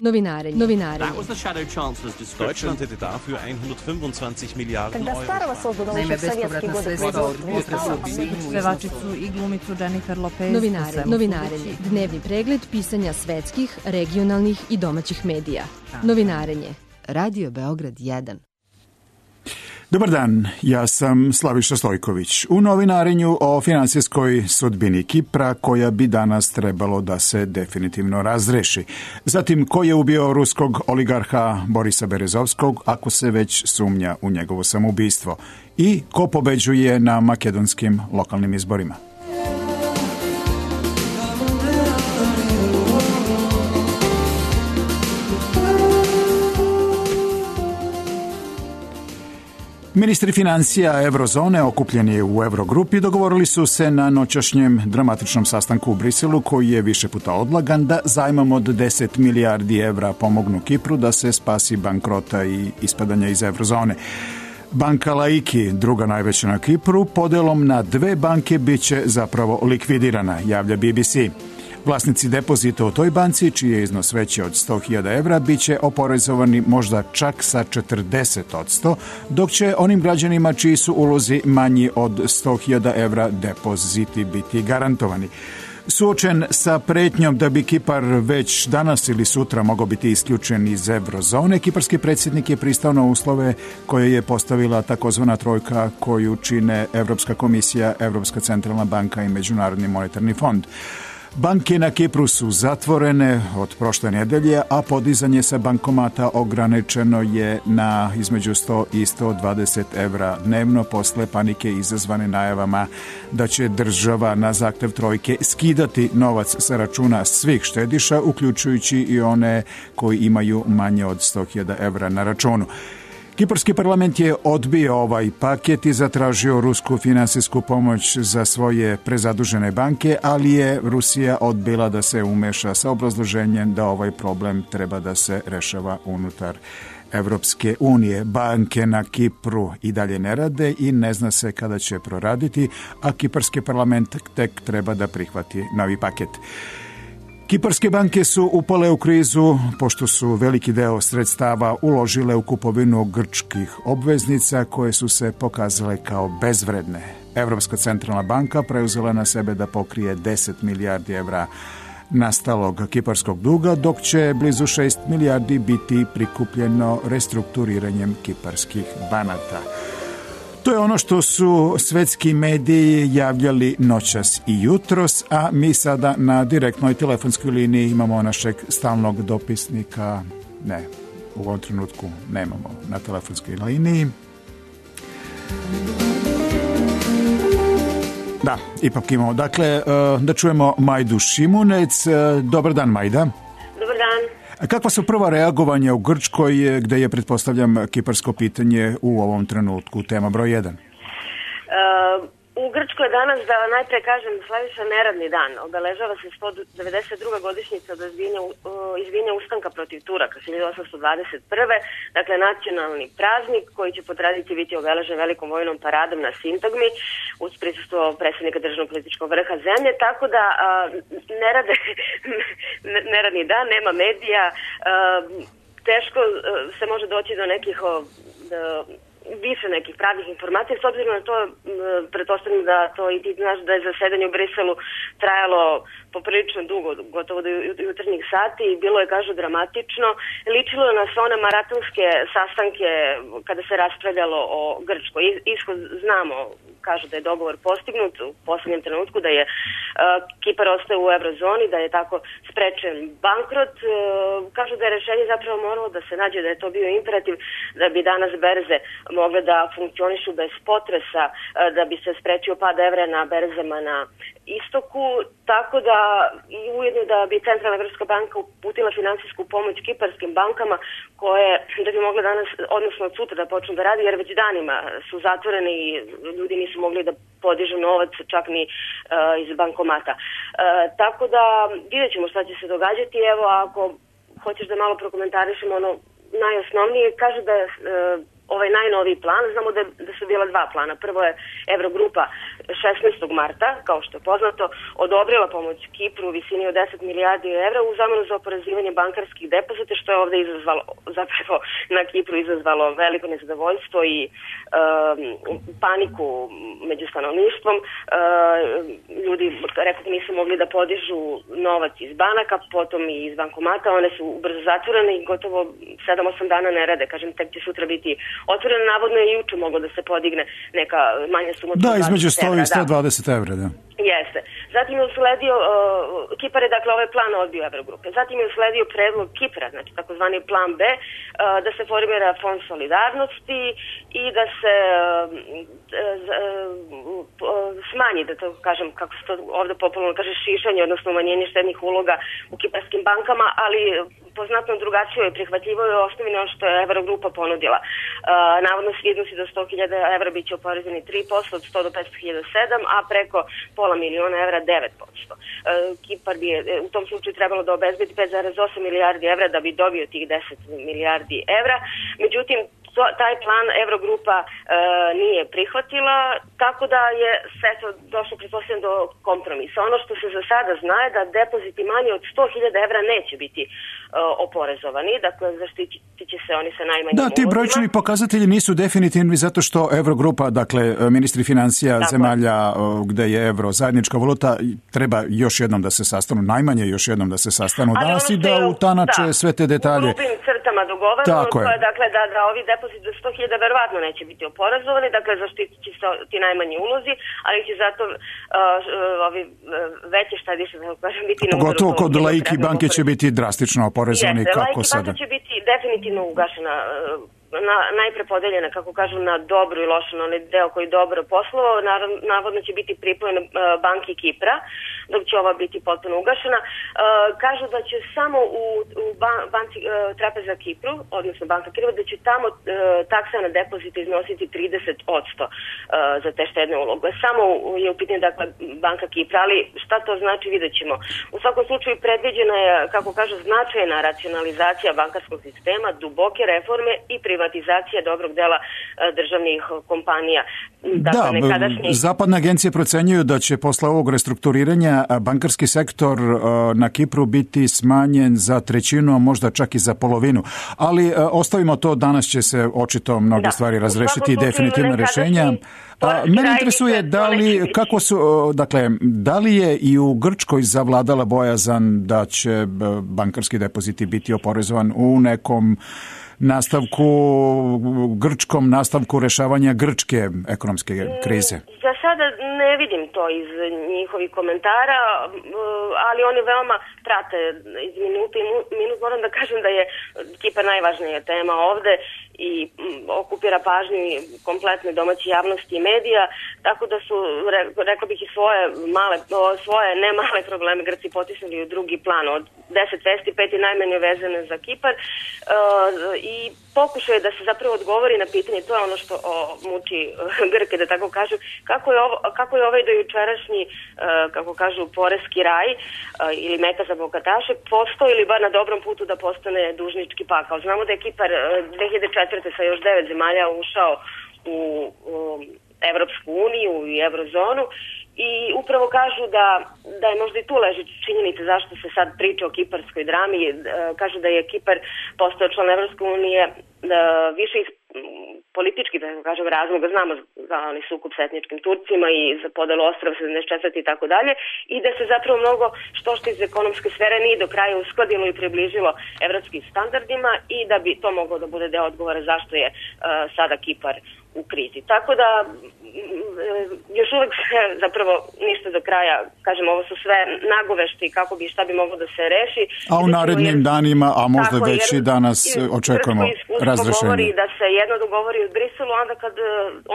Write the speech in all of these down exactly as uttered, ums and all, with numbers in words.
Novinarenje. Novinarenje. Deutschland hätte dafür hundertfünfundzwanzig Miliarden Euro. Naime, bespovratna sredstva od pevačicu i glumicu Jennifer Lopez. Novinarenje. Novinarenje. Dnevni pregled pisanja svetskih, regionalnih i domaćih medija. Novinarenje. Radio Beograd jedan. Dobar dan, ja sam Slaviša Stojković. U novinarenju o finansijskoj sudbini Kipra koja bi danas trebalo da se definitivno razreši. Zatim, ko je ubio ruskog oligarha Borisa Berezovskog, ako se već sumnja u njegovo samoubistvo. I ko pobeđuje na makedonskim lokalnim izborima. Ministri financija Eurozone okupljeni u Eurogrupi dogovorili su se na noćašnjem dramatičnom sastanku u Briselu, koji je više puta odlagan, da zajmom od deset milijardi evra pomognu Kipru da se spasi bankrota i ispadanja iz Eurozone. Banka Laiki, druga najveća na Kipru, podelom na dve banke biće zapravo likvidirana, javlja B B C. Vlasnici depozita u toj banci, čiji je iznos veći od sto hiljada evra, bit će oporezovani možda čak sa četrdeset posto, dok će onim građanima čiji su ulozi manji od sto hiljada evra depoziti biti garantovani. Suočen sa pretnjom da bi Kipar već danas ili sutra mogao biti isključen iz Eurozone, kiparski predsjednik je pristao na uslove koje je postavila takozvana trojka koju čine Evropska komisija, Evropska centralna banka i Međunarodni monetarni fond. Banke na Kipru su zatvorene od prošle nedelje, a podizanje sa bankomata ograničeno je na između sto i sto dvadeset evra dnevno posle panike izazvane najavama da će država na zahtev trojke skidati novac sa računa svih štediša, uključujući i one koji imaju manje od sto hiljada evra na računu. Kiparski parlament je odbio ovaj paket i zatražio rusku finansijsku pomoć za svoje prezadužene banke, ali je Rusija odbila da se umeša sa obrazloženjem da ovaj problem treba da se rešava unutar Evropske unije. Banke na Kipru i dalje ne rade i ne zna se kada će proraditi, a kiparski parlament tek treba da prihvati novi paket. Kiparske banke su upale u krizu pošto su veliki deo sredstava uložile u kupovinu grčkih obveznica koje su se pokazale kao bezvredne. Evropska centralna banka preuzela na sebe da pokrije deset milijardi evra nastalog kiparskog duga, dok će blizu šest milijardi biti prikupljeno restrukturiranjem kiparskih banaka. To je ono što su svetski mediji javljali noćas i jutros, a mi sada na direktnoj telefonskoj liniji imamo našeg stalnog dopisnika. Ne, u ovom trenutku nemamo na telefonskoj liniji. Da, ipak imamo. Dakle, da čujemo Majdu Šimunec. Dobar dan, Majda. Dobar dan. Kakva su prva reagovanja u Grčkoj, gde je, pretpostavljam, kiparsko pitanje u ovom trenutku tema broj jedan? Uh, u Grčkoj danas, da najpre kažem, Slaviša, neradni dan. Obeležava se sto devedeset druga godišnjica od izbijanja, uh, izbijanja ustanka protiv Turaka hiljadu osamsto dvadeset prve. Dakle, nacionalni praznik koji će po tradiciji biti obeležen velikom vojnom paradom na Sintagmi uz prisustvo predsjednika državnog političkog vrha zemlje. Tako da uh, nerade, neradni dan, nema medija, uh, teško uh, se može doći do nekih uh, više nekih pravih informacija, s obzirom na to, pretpostavljam da to i ti znaš da je zasedanje u Briselu trajalo poprilično dugo, gotovo do jutarnjih sati i bilo je, kažu, dramatično. Ličilo je na sve one maratonske sastanke kada se raspravljalo o Grčkoj. Ishod znamo, kažu da je dogovor postignut u poslednjem trenutku, da je uh, Kipar ostaje u Eurozoni, da je tako sprečen bankrot. Uh, kažu da je rešenje zapravo moralo da se nađe, da je to bio imperativ, da bi danas berze mogle da funkcionišu bez potresa, uh, da bi se sprečio pad evra na berzama na istoku, tako da i ujedno da bi Centralna Evropska banka uputila finansijsku pomoć kiparskim bankama koje da bi mogle danas, odnosno od sutra da počnu da radi, jer već danima su zatvorene i ljudi nisu mogli da podižu novac čak ni uh, iz bankomata. Uh, tako da vidjet ćemo šta će se događati. Evo, ako hoćeš da malo prokomentarišemo ono najosnovnije, kaže da je uh, ovaj najnoviji plan, znamo da, da su bila dva plana. Prvo je Eurogrupa šesnaestog marta, kao što je poznato, odobrila pomoć Kipru u visini od deset milijardi evra u zamenu za oporezivanje bankarskih depozita, što je ovde izazvalo, zapravo na Kipru izazvalo veliko nezadovoljstvo i um, paniku među stanovništvom. Uh, ljudi, rekao, nisu mogli da podižu novac iz banaka, potom i iz bankomata, one su brzo zatvorene i gotovo sedam osam dana ne rade. Kažem, tek će sutra biti otvoreno, navodno je juče moglo da se podigne neka manja suma. Da, između sto i sto dvadeset evra, da. Jeste. Zatim je usledio, uh, Kipar je dakle ovaj plan odbio Evrogrupe. Zatim je usledio predlog Kipra, znači takozvani plan B, uh, da se formira fond solidarnosti i da se uh, uh, uh, smanji, da to kažem, kako se to ovde popularno kaže, šišanje, odnosno umanjenje štednih uloga u kiparskim bankama, ali po znatno drugačijoj i prihvatljivoj osnovi ono što je Evrogrupa ponudila. Uh, navodno svi iznosi do sto hiljada evra biće oporezeni tri posto, od sto do petsto hiljada sedam, a preko pola miliona evra devet posto. Uh, Kipar bi je u tom slučaju trebalo da obezbedi pet zarez osam milijardi evra da bi dobio tih deset milijardi evra. Međutim, to, taj plan Evrogrupa e, nije prihvatila, tako da je sve to došlo pretpostavljeno do kompromisa. Ono što se za sada zna je da depoziti manje od sto hiljada evra neće biti e, oporezovani, dakle zaštitit će se oni sa najmanjim Da, ti brojčani pokazatelji nisu definitivni zato što Evrogrupa, dakle ministri financija tako zemalja gde je evro zajednička valuta, treba još jednom da se sastanu, najmanje još jednom da se sastanu danas i da utanače da, sve te detalje. U grubim crtama dogovoreno, to je dakle da, da ovi depoziti do sto hiljada verovatno neće biti oporezovani, dakle zaštitit će se ti najmanji ulozi, ali će zato uh, ovi veće štediše, da kažem, biti na udaru. Pogotovo kod laiki banke će biti drastično oporezovani. Jeste, kako laiki sada? banke će biti definitivno ugašena, na, najprepodeljena, kako kažu, na dobru i lošu, na onaj deo koji dobro poslovao, navodno će biti pripojena uh, banki Kipra, dok će ova biti potpuno ugašena. Uh, kažu da će samo u, u ban, banci uh, Trapeza Kipru, odnosno banka Kipra, da će tamo uh, taksa na depozite iznositi trideset posto uh, za te štedne uloge. Samo je u pitanju, dakle, banka Kipra, ali šta to znači vidjet ćemo. U svakom slučaju predviđena je, kako kažu, značajna racionalizacija bankarskog sistema, duboke reforme i privatizacija dobrog dela uh, državnih kompanija. Dakle, da, nekadašnji... zapadne agencije procenjuju da će posle ovog restrukturiranja bankarski sektor na Kipru biti smanjen za trećinu, a možda čak i za polovinu. Ali ostavimo to, danas će se očito mnoge da. stvari razrešiti i definitivno rešenja. A, mene interesuje da li, kako su, dakle, da li je i u Grčkoj zavladala bojazan da će bankarski depoziti biti oporezovan u nekom nastavku, grčkom nastavku rešavanja grčke ekonomske krize? Za sada ne vidim to iz njihovih komentara, ali oni veoma prate iz minuta i minut. Moram da kažem da je Kipar najvažnija tema ovde i okupira pažnju kompletne domaće javnosti i medija, tako da su, rekla bih, i svoje male, svoje ne male probleme Grci potisnuli u drugi plan. Od deset vesti, pet je najmanje vezane za Kipar i pokušao je da se zapravo odgovori na pitanje, to je ono što o, muči Grke, da tako kažu, kako je, ovo, kako je ovaj dojučerašnji, kako kažu, poreski raj ili meka za bogataše postao ili bar na dobrom putu da postane dužnički pakao. Znamo da je Kipar dve hiljade četvrte sa još devet zemalja ušao u, u Evropsku uniju i Eurozonu i upravo kažu da, da je možda i tu leži činjenica zašto se sad priča o kiparskoj drami. Kažu da je Kipar postao član Evropske unije više iz politički, da kažem, razloga, znamo za onaj sukob s etničkim Turcima i za podelu ostrava sedamdeset četvrte i tako dalje, i da se zapravo mnogo što što iz ekonomske sfere nije do kraja uskladilo i približilo evropskim standardima i da bi to moglo da bude deo odgovora zašto je uh, sada Kipar u krizi. Tako da još uvek zapravo ništa do kraja, kažem, ovo su sve nagovešti kako bi šta bi moglo da se reši. A u narednim jer, danima, a možda tako, već i danas očekujemo razrešenje. Govori da se jedno dogovori u Briselu, onda kad uh,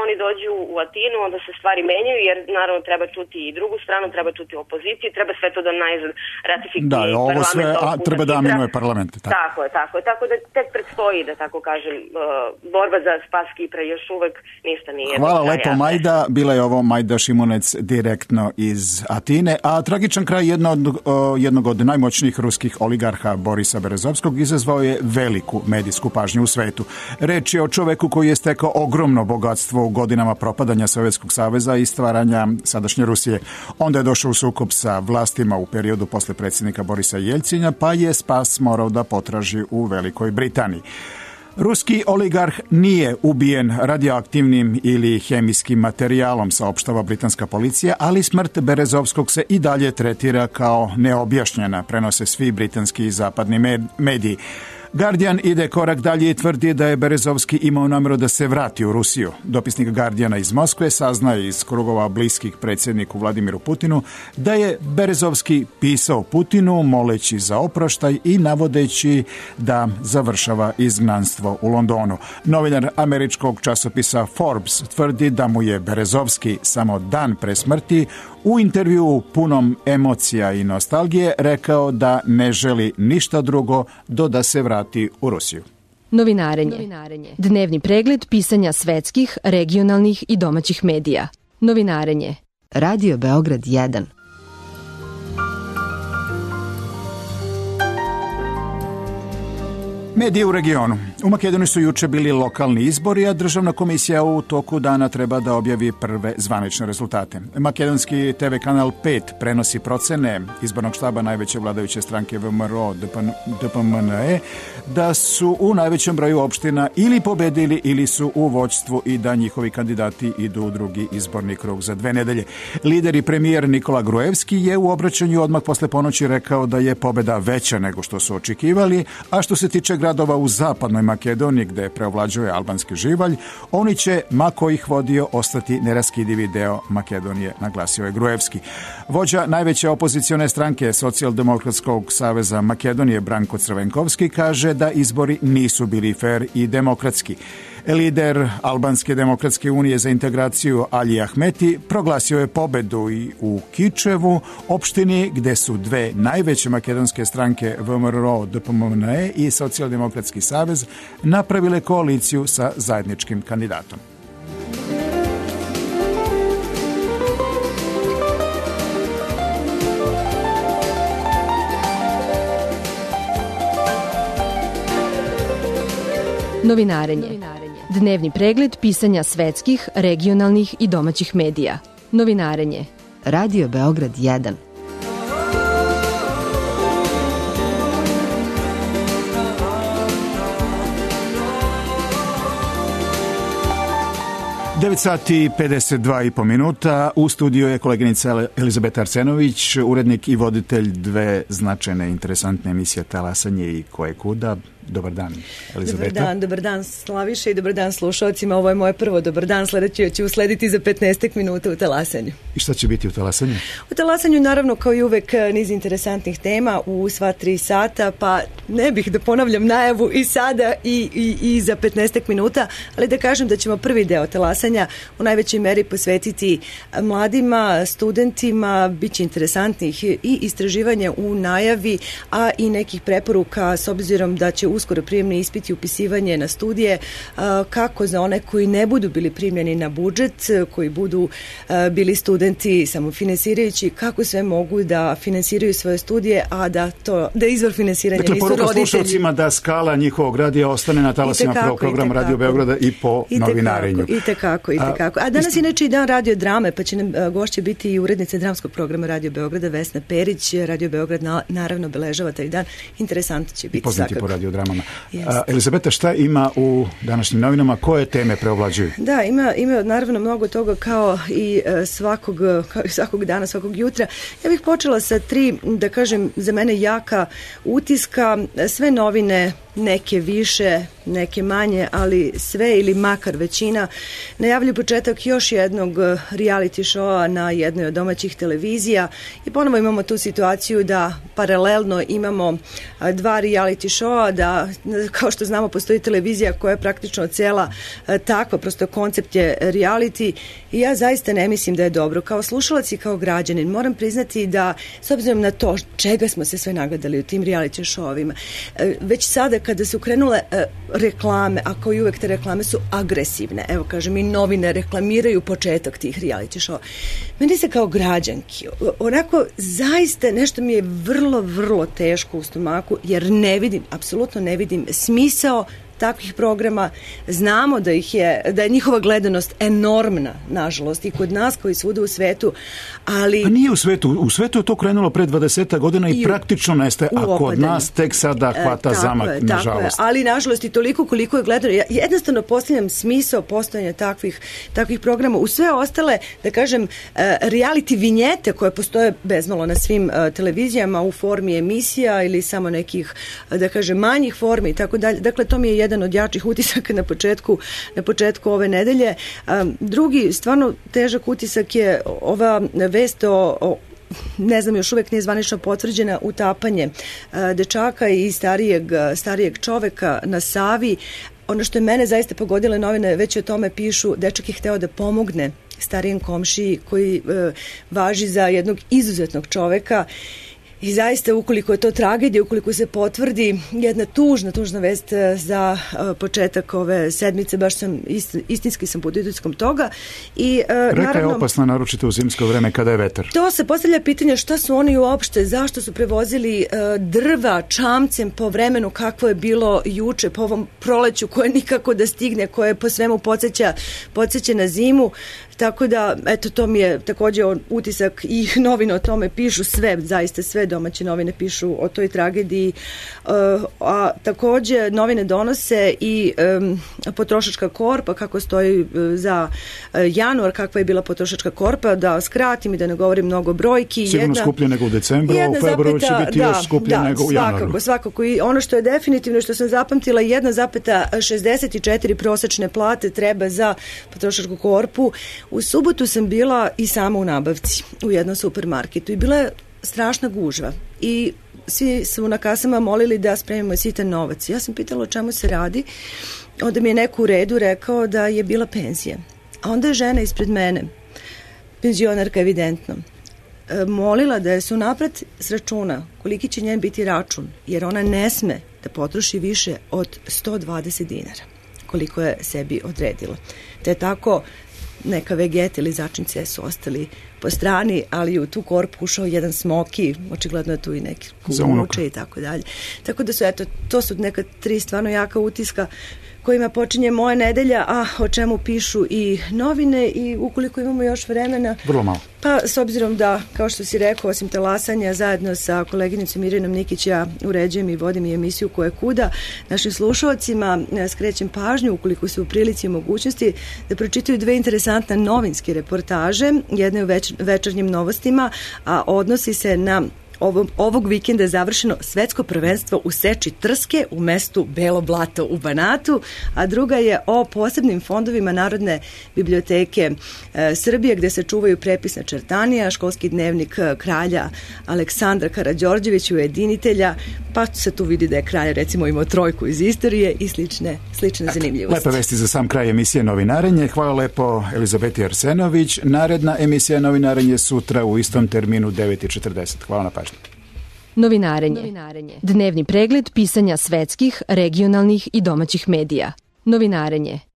oni dođu u Atinu, onda se stvari menjaju, jer naravno treba čuti i drugu stranu, treba čuti opoziciju, treba sve to da najzad ratifikuje da, ovo sve, a treba da aminuje parlamente. Tako. tako je, tako je. Tako da tek predstoji, da tako kažem, uh, borba za spas Kipra još uvek uvek ništa nije. Hvala lepo, Majda. Bila je ovo Majda Šimunec direktno iz Atine, a tragičan kraj jednog, jednog od najmoćnijih ruskih oligarha Borisa Berezovskog izazvao je veliku medijsku pažnju u svetu. Reč je o čoveku koji je stekao ogromno bogatstvo u godinama propadanja Sovjetskog saveza i stvaranja sadašnje Rusije. Onda je došao u sukob sa vlastima u periodu posle predsjednika Borisa Jeljcina, pa je spas morao da potraži u Velikoj Britaniji. Ruski oligarh nije ubijen radioaktivnim ili hemijskim materijalom, saopštava britanska policija, ali smrt Berezovskog se i dalje tretira kao neobjašnjena, prenose svi britanski i zapadni mediji. Guardian ide korak dalje i tvrdi da je Berezovski imao namjeru da se vrati u Rusiju. Dopisnik Guardiana iz Moskve saznaje iz krugova bliskih predsjedniku Vladimiru Putinu da je Berezovski pisao Putinu moleći za oproštaj i navodeći da završava izgnanstvo u Londonu. Novinar američkog časopisa Forbes tvrdi da mu je Berezovski samo dan pre smrti u intervjuu punom emocija i nostalgije rekao da ne želi ništa drugo do da se vrati u Rusiju. Novinarenje. Dnevni pregled pisanja svetskih, regionalnih i domaćih medija. Novinarenje. Radio Beograd jedan. Medije u regionu. U Makedoniji su juče bili lokalni izbori, a državna komisija u toku dana treba da objavi prve zvanične rezultate. Makedonski te ve kanal pet prenosi procene izbornog štaba najveće vladajuće stranke V M R O D P M N E da su u najvećem broju opština ili pobedili ili su u vođstvu i da njihovi kandidati idu u drugi izborni krug za dve nedelje. Lider i premijer Nikola Gruevski je u obraćanju odmah posle ponoći rekao da je pobeda veća nego što su očekivali, a što se tiče gradova u zapadnoj Makedoniji gde preovlađuje albanski živalj, oni će, ma ko ih vodio, ostati neraskidivi deo Makedonije, naglasio je Gruevski. Vođa najveće opozicione stranke Socijaldemokratskog saveza Makedonije Branko Crvenkovski kaže da izbori nisu bili fer i demokratski. Lider Albanske demokratske unije za integraciju Ali Ahmeti proglasio je pobedu i u Kičevu, opštini gde su dve najveće makedonske stranke V M R O D P M N E i Socijaldemokratski savez napravile koaliciju sa zajedničkim kandidatom. Novinarenje. Dnevni pregled pisanja svetskih, regionalnih i domaćih medija. Novinarenje. Radio Beograd jedan. devet sati i pedeset dva i po minuta. U studiju je koleginica Elizabeta Arsenović, urednik i voditelj dve značajne interesantne emisije Talasanje i Ko je kuda. Dobar dan, Elizabeta. Dobar dan, dobar dan Slaviša i dobar dan slušalcima. Ovo je moje prvo dobar dan, sledeće ću uslediti za petnaest minuta u Talasanju. I šta će biti u Talasanju? U Talasanju naravno kao i uvek niz interesantnih tema u sva tri sata, pa ne bih da ponavljam najavu i sada i, i, i za petnaest minuta, ali da kažem da ćemo prvi deo Talasanja u najvećoj meri posvetiti mladima, studentima, bit će interesantnih i istraživanja u najavi, a i nekih preporuka s obzirom da će uskoro prijemni ispiti i upisivanje na studije, kako za one koji ne budu bili primljeni na budžet, koji budu bili studenti samofinansirajući, kako sve mogu da finansiraju svoje studije, a da to da izvor finansiranja dakle, nisu roditelji. Dakle, poruka slušalcima da skala njihovog radija ostane na talasima prvog programa Radio Beograda i po I novinarenju. I tekako, i tekako. A danas je inače i dan radio drame, pa će nam gošće biti i urednica dramskog programa Radio Beograda Vesna Perić. Radio Beograd na, naravno obeležava taj dan. Interesantno će biti. Poznati po radio dramama. A, Elizabeta, šta ima u današnjim novinama? Koje teme preovlađuju? Da, ima, ima naravno mnogo toga kao i svakog, kao i svakog dana, svakog jutra. Ja bih počela sa tri, da kažem, za mene jaka utiska. Sve novine, neke više, neke manje, ali sve ili makar većina, najavljuju početak još jednog reality showa na jednoj od domaćih televizija i ponovo imamo tu situaciju da paralelno imamo dva reality showa, da kao što znamo postoji televizija koja je praktično cela takva, prosto koncept je reality i ja zaista ne mislim da je dobro. Kao slušalac i kao građanin moram priznati da s obzirom na to čega smo se sve nagledali u tim reality showovima, već sada kada su krenule reklame, a kao i uvek te reklame su agresivne. Evo, kažem, i novine reklamiraju početak tih reality show. Meni se kao građanki, onako, zaista nešto mi je vrlo, vrlo teško u stomaku, jer ne vidim, apsolutno ne vidim smisao takvih programa. Znamo da ih je, da je njihova gledanost enormna, nažalost, i kod nas koji svuda u svetu, ali... Pa nije u svetu, u svetu je to krenulo pre dvadeset godina i, i praktično nestaje, a kod nas tek sada hvata e, zamak, je, nažalost. Je, ali nažalost i toliko koliko je gledano. Ja jednostavno postavljam smisao postojanja takvih, takvih programa. U sve ostale, da kažem, reality vinjete koje postoje bezmalo na svim televizijama u formi emisija ili samo nekih, da kažem, manjih formi i tako dalje. Dakle, to mi je jedan od jačih utisaka na početku, na početku ove nedelje. Drugi, stvarno težak utisak je ova vest o, o ne znam, još uvek nije zvanično potvrđena, utapanje dečaka i starijeg, starijeg čoveka na Savi. Ono što je mene zaista pogodilo, novine već o tome pišu, dečak je hteo da pomogne starijem komšiji koji e, važi za jednog izuzetnog čoveka. I zaista, ukoliko je to tragedija, ukoliko se potvrdi, jedna tužna, tužna vest za uh, početak ove sedmice, baš sam ist, istinski sam pod utiskom toga. I, uh, Reka naravno, je opasna, naročito u zimsko vreme kada je vetar. To se postavlja pitanje šta su oni uopšte, zašto su prevozili uh, drva čamcem po vremenu kakvo je bilo juče, po ovom proleću koje nikako da stigne, koje po svemu podsjeća, podsjeća na zimu. Tako da, eto, to mi je takođe utisak i novine o tome pišu, sve, zaista sve domaće novine pišu o toj tragediji, uh, a takođe novine donose i um, potrošačka korpa, kako stoji uh, za uh, januar, kakva je bila potrošačka korpa, da skratim i da ne govorim mnogo brojki. Sigurno jedna, skuplje nego u decembru, a u februaru će biti da, još skuplje da, nego u januaru. Svakako, svakako. I ono što je definitivno, što sam zapamtila, jedna zarez šezdeset četiri prosečne plate treba za potrošačku korpu. U subotu sam bila i sama u nabavci u jednom supermarketu i bila je strašna gužva i svi su na kasama molili da spremimo sitan novac. Ja sam pitala o čemu se radi, onda mi je neko u redu rekao da je bila penzija. A onda je žena ispred mene, penzionarka evidentno, molila da je se unapred s računa koliki će njen biti račun, jer ona ne sme da potroši više od sto dvadeset dinara, koliko je sebi odredila. Te tako neka vegeta ili začince su ostali po strani, ali u tu korpu ušao jedan smoki, očigledno je tu i neki kuće i tako dalje. Tako da su, eto, to su neka tri stvarno jaka utiska kojima počinje moja nedelja, a o čemu pišu i novine i ukoliko imamo još vremena. Vrlo malo. Pa, s obzirom da, kao što si rekao, osim talasanja, zajedno sa koleginicom Irinom Nikić, ja uređujem i vodim i emisiju Ko je kuda, našim slušalcima skrećem pažnju, ukoliko su u prilici i mogućnosti, da pročitaju dve interesantne novinske reportaže, jedna u več, večernjim novostima, a odnosi se na Ovog, ovog vikenda je završeno svetsko prvenstvo u seči trske u mestu Belo Blato u Banatu, a druga je o posebnim fondovima Narodne biblioteke e, Srbije, gde se čuvaju prepisna čertanija, školski dnevnik kralja Aleksandra Karađorđevića, ujedinitelja, pa se tu vidi da je kralj recimo imao trojku iz istorije i slične, slične zanimljivosti. Lepa vesti za sam kraj emisije Novinarenje. Hvala lepo Elizabeti Arsenović. Naredna emisija Novinarenje sutra u istom terminu devet i četrdeset. Hvala na pažnju. Novinarenje. Novinarenje. Dnevni pregled pisanja svetskih, regionalnih i domaćih medija. Novinarenje.